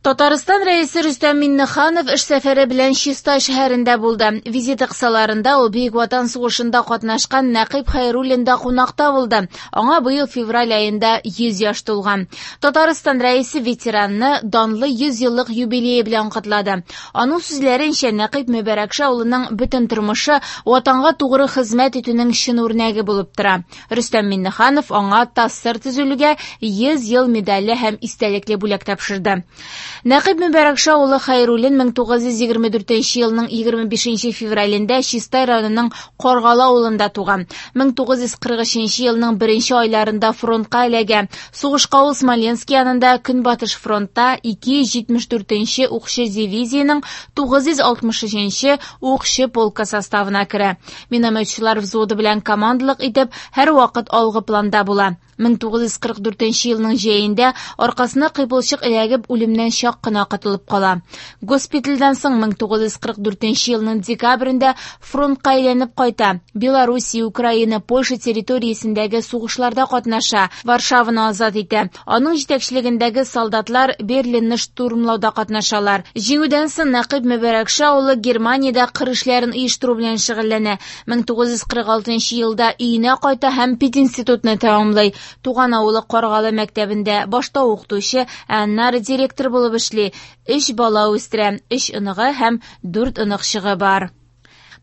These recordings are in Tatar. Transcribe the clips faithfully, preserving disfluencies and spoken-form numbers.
Татарстан Рәисе Рөстәм Миңнеханов эш сәфәре белән Чистай шәһәрендә булды. Визиты кысаларында ул Бөек Ватан сугышында катнашкан Нәкыйп Хәйруллинда кунакта булды. Аңа быел февраль аенда йөз яшь тулган. Татарстан Рәисе ветеранны данлы йөз еллык юбилее белән котлады. Аның сүзләренчә, Нәкыйп Мөбәрәкша улының бөтен тормышы Ватанга тугры хезмәт итүнең чын үрнәге булып тора. Рөстәм Миңнеханов аңа ТАССР төзелүгә йөз ел медале һәм истәлекле бүләк тапшырды. Нәкыйп Мөбәрәкша улы Хәйруллин мең тугыз йөз егерме дүртенче елның егерме бишенче февралендә Чистай районының Каргалы авылында туган. мең тугыз йөз кырык өченче елның беренче айларында фронтка эләгә. Сугышка ул Смоленск янында Көнбатыш фронтта ике йөз җитмеш дүртенче укчы дивизиянең тугыз йөз алтмыш өченче укчы полкы составына керә. Минометчылар взводы белән командалык итеп, һәр вакыт алгы планда була. мең тугыз йөз кырык дүртенче елның җәендә аркасына кыйпылчык эләгеп үлемнән чак кына котылып кала. Госпитальдән соң мең тугыз йөз кырык дүртенче елның декабрендә фронтка әйләнеп кайта. Белоруссия, Украина, Польша территориясендәге сугышларда катнаша, Варшаваны азат итә. Аның җитәкчелегендәге солдатлар Берлинны штурмлауда катнашалар. Җиңүдән соң Нәкыйп Мөбәрәкша улы Германиядә кыр эшләрен оештыру белән шөгыльләнә. мең тугыз йөз кырык алтынчы елда өенә кайта һәм пединститутны тәмамлый. Туган авылы Каргалы мәктәбендә башта укытучы, ә аннары директор булып эшли. Өч бала үстерә, өч оныгы һәм дүрт оныкчыгы бар.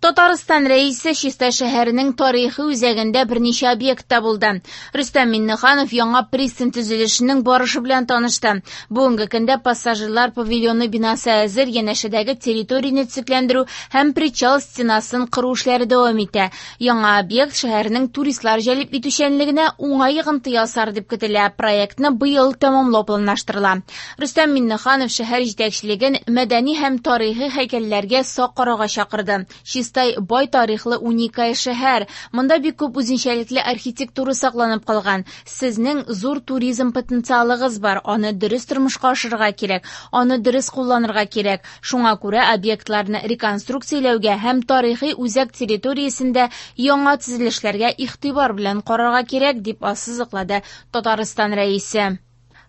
Татарстан Рәисе Чистай шәһәренең тарихи үзәгендә берничә объектта булды. Рөстәм Миңнеханов яңа пристань төзелешенең барышы белән танышты. Бүгенге көндә пассажирлар павильоны бинасы әзер, янәшәдәге территорияне төзекләндерү һәм причал стенасын кору эшләре дәвам итә. Яңа объект шәһәрнең туристлар җәлеп итүчәнлегенә уңай йогынты ясар дип көтелә. Проектны быел тәмамлау планлаштырыла. Рөстәм Миңнеханов шәһәр җитәкчелеген мәдәни һәм тарихи һәйкәлләргә сак карауга чакырды. Чистай бай тарихлы уникаль шәһәр. Монда бик күп үзенчәлекле архитектура сакланып калган. Сезнең зур туризм потенциалыгыз бар. Аны дөрес тормышка ашырырга кирәк, аны дөрес кулланырга кирәк. Шуңа күрә объектларны реконструкцияләүгә һәм тарихи үзәк территориясендә яңа төзелешләргә игътибар белән карарга кирәк, дип ассызыклады Татарстан Рәисе.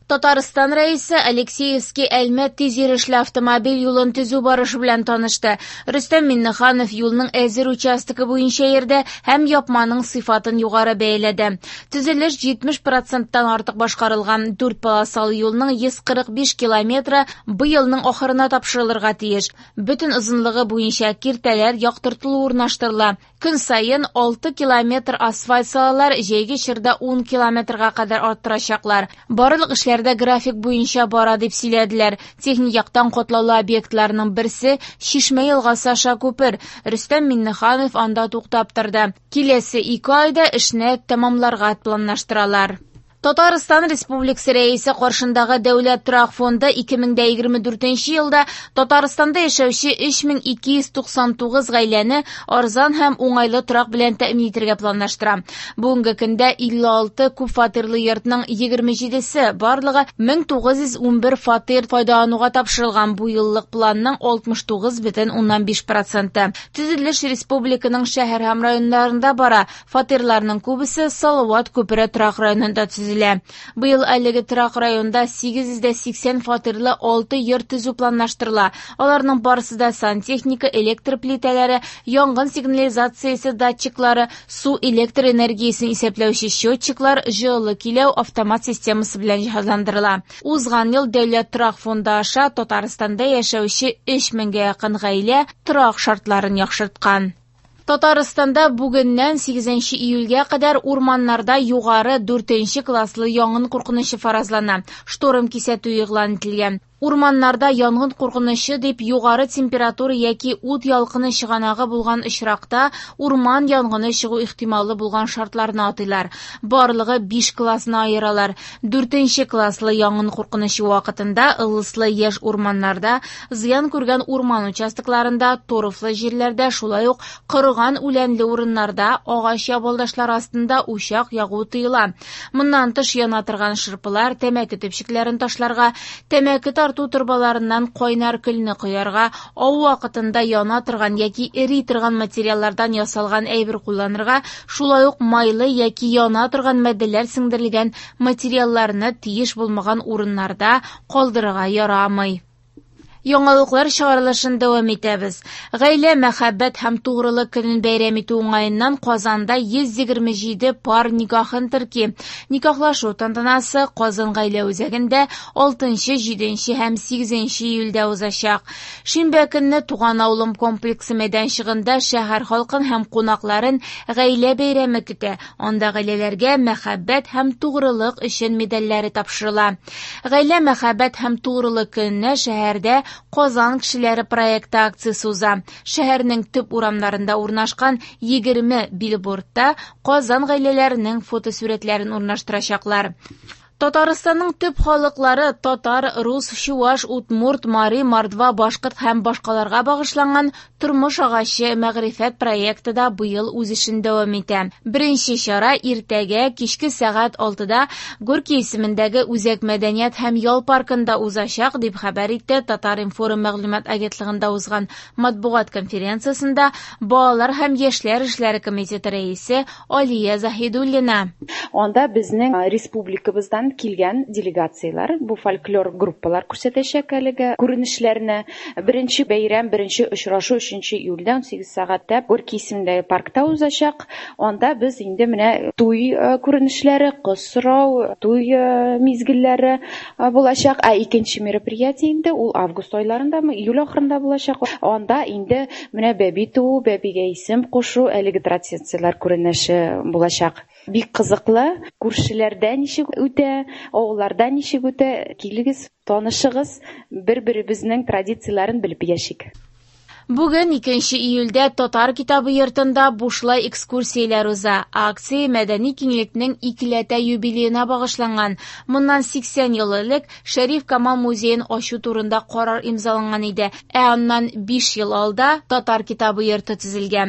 Татарстан Рәисе Алексеевский Әлмәт тиз йөрешле автомобиль юлын төзү барышы белән танышты. Рөстәм Миңнеханов юлның әзер участогы буенча йөрде һәм япманың сыйфатын югары бәяләде. Төзелеш җитмеш проценттан артык башкарылган. Дүрт полосалы юлның йөз кырык биш километры быелның ахырына тапшырылырга тиеш. Бөтен озынлыгы буенча киртәләр яктыртылу урнаштырыла. Көн саен алты километр асфальт салалар, җәйге чорда ун километрга кадәр арттырачаклар. Барлык эшләр дә график буенча бара дип сөйләделәр. Техник яктан катлаулы объектларның берсе Чишмә елгасы аша күпер. Рөстәм Миңнеханов анда туктап торды. Киләсе ике айда эшне тәмамларга планлаштыралар. Татарстан Республикасы Рәисе каршындагы Дәүләт торак фонды ике мең дә егерме дүртенче елда Татарстанда яшәүче өч мең ике йөз туксан тугыз гаиләне арзан һәм уңайлы торак белән тәэмин итәргә планлаштыра. Бүгенге көндә илле алты күп фатирлы йортның егерме җидесе, барлыгы мең тугыз йөз унбер фатир файдалануга тапшырылган. Бу еллык планның алтмыш тугыз бөтен уннан биш проценты. Төзелеш республиканың шәһәр һәм районнарында бара. Фатирларның күбесе Салават күпере торак районында төзелә. Быел әлеге торак районда сигез йөз дә сиксән фатирлы алты йорт төзү планлаштырыла. Аларның барысы да сантехника, электр плитәләре, янгын сигнализациясе датчиклары, су электр энергиясен исәпләүче счетчиклар, җылы киләү автомат системасы белән җиһазландырыла. Узган ел Дәүләт торак фонды аша Татарстанда яшәүче өч меңгә якын гаилә торак шартларын яхшырткан. Татарстанда бүгеннән сигезенче июльгә кадәр урманнарда югары дүртенче класслы янгын куркынычы фаразлана. Шторм кисәтү игълан ителгән. Урманнарда янгын куркынычы дип югары температура яки ут ялкыны чыганагы булган очракта урман янгыны чыгу ихтималы булган шартларны атыйлар. Барлыгы биш классны аералар. Дүртенче класслы янгын куркынычы вакытында ылыслы яшь урманнарда, зыян күргән урман участокларында, торфлы җирләрдә, шулай ук корыган үләнле урыннарда агач ябалдашлары астында учак ягу тыела. Моннан тыш яна торган шырпылар, тәмәке төпчекләрен ташларга, тәмәке Чистарту торбаларыннан кайнар көлне коярга, ау вакытында яна торган яки эри торган материаллардан ясалган әйбер кулланырга, шулай ук майлы яки яна торган матдәләр сеңдерелгән материалларны тиеш булмаган урыннарда калдырырга ярамый. Яңалыклар чыгарылышын дәвам итәбез. Гаилә, мәхәббәт һәм тугрылык көнен бәйрәм итү уңаеннан Казанда йөз егерме җиде пар никахын терки. Никахлашу тантанасы Казан гаилә үзәгендә алтынчы, җиденче һәм сигезенче июльдә узачак. Шимбә көнне Туган авылым комплексы мәйданчыгында шәһәр халкын һәм кунакларын гаилә бәйрәме көтә. Анда гаиләләргә мәхәббәт һәм тугрылык өчен медальләре тапшырыла. Гаилә, мәхәббәт һәм тугрылык көненә шәһәрдә Казан кешеләре проекты акциясе уза. Шәһәрнең төп урамнарында урнашкан егерме билбордта Казан гаиләләренең фотосурәтләрен урнаштырачаклар. Татарстанның төп халыклары татар, рус, чуваш, удмурт, мари, мордва, башкорт һәм башкаларга багышланган Тормыш агачы мәгърифәт проекты да быел үз эшен дәвам итә. Беренче чара иртәгә кичке сәгать алтыда Горький исемендәге Үзәк мәдәният һәм ял паркында узачак, дип хәбәр итте Татар-информ мәгълүмат агентлыгында узган матбугат конференциясендә Балалар һәм яшьләр эшләре комитеты рәисе Алия Заһидуллина. Анда безнең республикабыздан килгән делегацияләр, бу фольклор группалар күрсәтәчәк әлеге күренешләрне. Беренче бәйрәм, беренче очрашу өченче июльдә ун сигез сәгатьтә Горький исемендәге паркта узачак. Анда без инде менә туй, э, күренешләре, кыз сорау, туй, э, мизгелләре, э, булачак. Ә икенче мероприятие инде ул август айларындамы, июль ахырында булачак. Анда инде менә бәби туу, бәбигә исем кушу, әлеге традицияләр күренеше булачак. Бик кызыклы, күршеләрдә ничек үтә, авылларда ничек үтә, килегез, танышыгыз, бер-беребезнең традицияләрен белеп яшик. Бүген икенче июльдә Татар китабы йортында бушлай экскурсияләр уза. Акция мәдәни киңлекнең икеләтә юбилеена багышланган. Моннан сиксән ел элек Шәриф Камал музеен ачу турында карар имзаланган иде. Ә аннан биш ел алда Татар китабы йорты төзелгән.